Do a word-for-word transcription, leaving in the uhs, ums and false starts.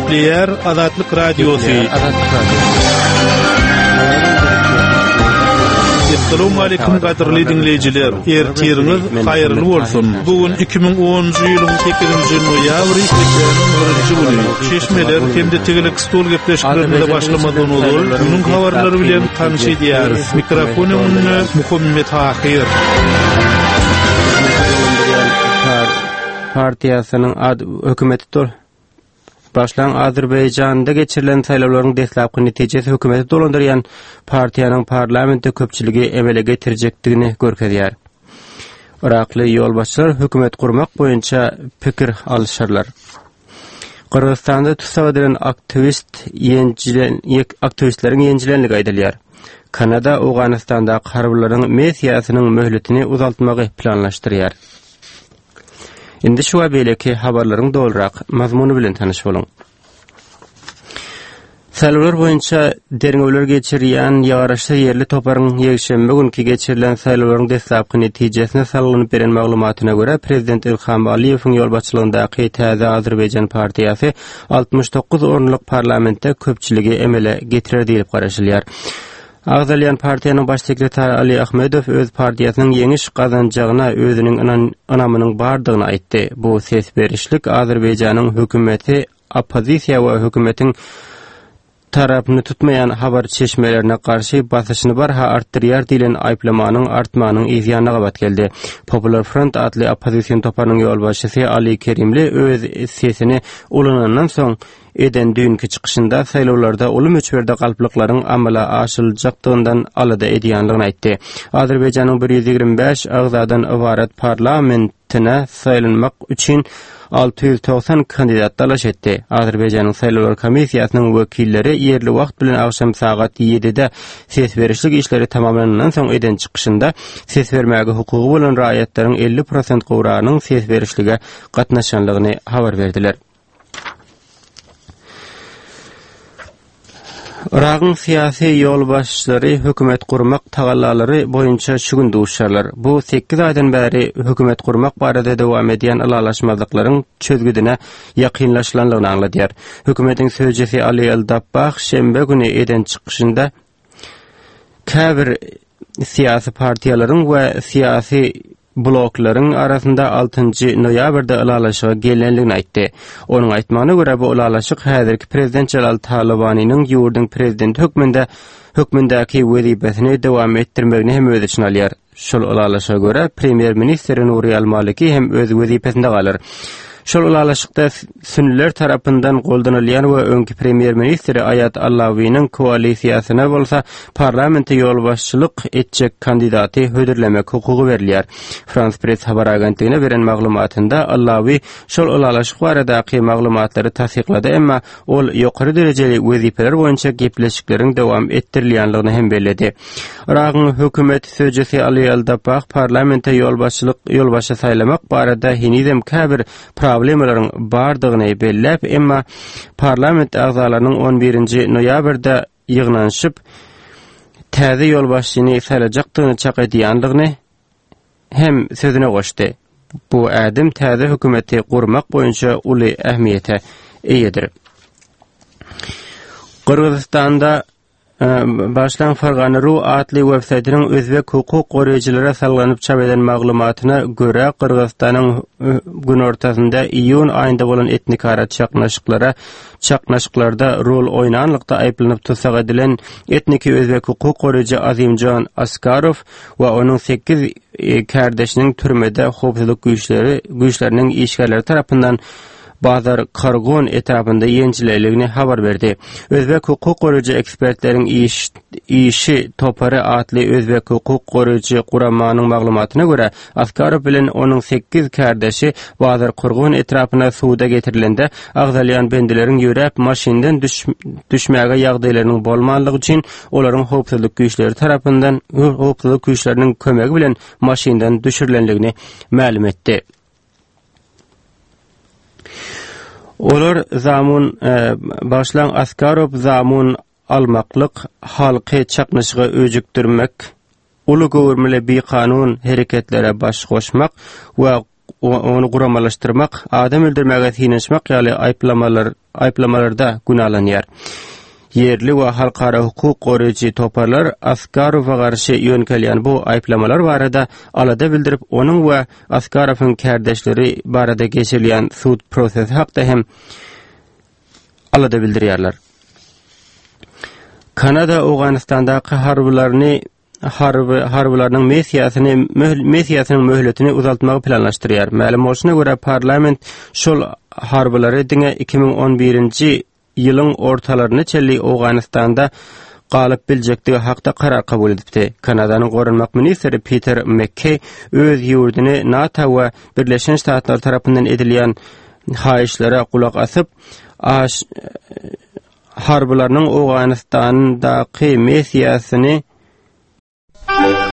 Gepleýär Azatlyk Radiosy. Azatlyk Radiosy. Assalamu gadyrly diňleýjiler. Ertiriňiz haýyrly bolsun. Bu gün iki müň onunjy ýylyň sekizinji noýabry, hepdäniň birinji güni. Çeşmeler hem-de tegelek stol gepleşiklerimize başlamazdan ozal günüň habarlary bilen tanyş edýäris. Mikrofon öňünde Muhammet Tahyr. Partiýasynyň ad hökümeti dol Başlan Azerbaýjanda geçirilen saýlawlaryň deslapky netijesi hökümeti dolandyrýan partiýanyň parlamentde köpçüligi emele getirjekdigini görkezýär. Irakly ýolbaşçylar hökümet gurmak boýunça pikir alyşarlar. Gyrgyzystanda tussag edilen aktiwist ýenjilen, aktiwistleriň ýenjilenligi aýdylýar. Kanada Owganystandaky harbylaryň missiýasynyň möhletini uzaltmagy planlaşdyrýar. Indi şu we beýleki habarlaryň dolurak mazmuny bilen tanyş boluň. Saýlawlar boýunça derňewler geçirýän ýaraşsyz ýerli toparyň ýekşenbe günki geçirilen saýlawlaryň deslapky netijesine salgylanyp beren maglumatyna görä, prezident Ilham Aliýewiň ýolbaşçylygyndaky Täze Azerbaýjan partiýasy altmyş dokuz orunlyk parlamentde köpçüligi emele getirer diýlip garaşylýar. Agzalýan partiýanyň baş sekretary Ali Ahmedow öz partiýasynyň ýeňiş gazanjagyna özüniň ynamynyň bardygyny aýtdy. Bu ses berişlik Azerbaýjanyň hökümeti oppozisiýa we hökümetiň tarapyny tutmaýan habar çeşmelerine garşy basyşyny barha artdyrýar diýlen aýyplamanyň artmagynyň yz ýanyna gabat geldi. Popular Front atly oppozision toparynyň ýolbaşçysy Ali Kerimli öz sesini ulanandan soň eden düýnki çykyşynda saýlawlarda uly möçberde galplyklaryň amala aşyryljakdygyndan alada edýänligini aýtdy. Azerbaýjanyň bir ýüz ýigrimi bäş agzadan ybarat parlamentine saýlanmak üçin alty ýüz togsan kandidat dalaş etdi. Azerbaýjanyň saýlawlar komissiýasynyň wekilleri ýerli wagt bilen agşam sagat ýedide ses berişlik işleri tamamlanandan soň eden çykyşynda ses bermäge hukugy bolan raýatlaryň elli prosent gowragynyň ses berişlige gatnaşanlygyny habar berdiler. Yragyň syýasy ýolbaşçylary hökümet gurmak tagallalary boýunça şu gün duşarlar. Bu sekiz aýdan bäri hökümet gurmak barada dowam edýän ylalaşmazlyklaryň çözgüdine ýakynlaşylanlygyny aňladýar. Hökümetiň sözcüsi Ali El-Dabbah şenbe güni eden çykyşynda käbir syýasy partiýalaryň we syýasy bloklaryň arasynda altynjy noýabrda ylalaşyga gelenligini aýtdy. Onuň aýtmagyna görä, bu ylalaşyk häzirki prezident Jalal Talabanynyň ýurduň prezidenti hökmünde hökmündäki wezipesini dowam etdirmegini hem öz içine alýar. Şol ylalaşyga görä, premýer-ministr Nuri al-Maliki hem öz wezipesinde galar. Şol ylalaşykda sünniler tarapyndan goldanylýan we öňki premýer-ministri Aýat Allawiniň koalisiýasyna bolsa parlamente ýolbaşçylyk etjek kandidaty hödürlemek hukugy berilýär. Frans Press habar agentligine beren maglumatynda Allawi şol ylalaşyk baradaky maglumatlary tassyklady, emma ol ýokary derejeli wezipeler boýunça gepleşikleriň dowam etdirilýänligini hem belledi. Yragyň hökümet sözcüsi Ali Al-Dabbah parlamente ýolbaşçylyk ýolbaşçy saýlamak barada henizem käbir problemalaryň bardygyny belläp, emma parlament agzalarynyň on birinji noýabrda ýygnanyşyp täze ýolbaşçyny saýlajakdygyny çak edýändigini hem sözüne goşdy. Bu ädim täze hökümeti gurmak boýunça uly ähmiýete eýedir. Gyrgyzystanda başlan Fergana ru atly websaýtynyň özbek hukuk goraýjylara salgylanyp çap eden maglumatyna görä, Gyrgyzystanyň günortasynda iýun aýynda bolan etnikara çaknyşyklara çaknyşyklarda rol oýnanlykda aýyplanyp tussag edilen etniki özbek hukuk goraýjy Azimjon Askarow we onuň sekiz kärdeşiniň türmede howpsuzlyk güýçleri güýçleriniň işgärleri tarapyndan Bazar Kargon etrapynda ýenjilenligini habar berdi. Özbek hukuk goraýjy ekspertleriň iş, işi topary atly özbek hukuk goraýjy guramanyň maglumatyna görä, Askarow bilen onuň sekiz kärdeşi Bazar Kurgon etrapyna suwda getirilende agzalýan bendileriň ýöräp maşyndan düş, düşmäge ýagdaýlarynyň bolmanlygy üçin olaryň howpsuzlyk güýçleri tarapyndan howpsuzlyk güýçleriniň kömegi bilen maşyndan düşürilenligini mälim etdi. Olar zamun, e, başlan Askarow zamun almaklyk, halky çaknyşyga öjükdirmek, uly göwrümli bikanun hereketlere baş goşmak we ony guramalaşdyrmak, adam öldürmäge synanyşmak ýaly aýyplamalar aýyplamalarda günälenýär. Ýerli we halkara hukuk goraýjy toparlar Askarowa garşy ýöňkelýän bu aýyplamalar barada alada bildirip, onuň we Askarowyň kärdeşleri barada geçirilýän sud prosesi hakda hem alada bildirýärler. Kanada Owganystandaky harbylaryny harby harbylarynyň missiýasyny missiýasynyň möhletini uzaltmagy planlaşdyrýar. Mälim bolşuna görä, parlament şol harbylary diňe iki müň on birinji ýylyň ortalaryna çenli Owganystanda galyp biljekdigi hakda karar kabul edipdi. Kanadanyň goranmak ministri Peter McKay öz ýurduny NATO we Birleşen Ştatlar tarapyndan edilýän haýyşlara gulak asyp, aş harbylarynyň Owganystandaky missiýasyny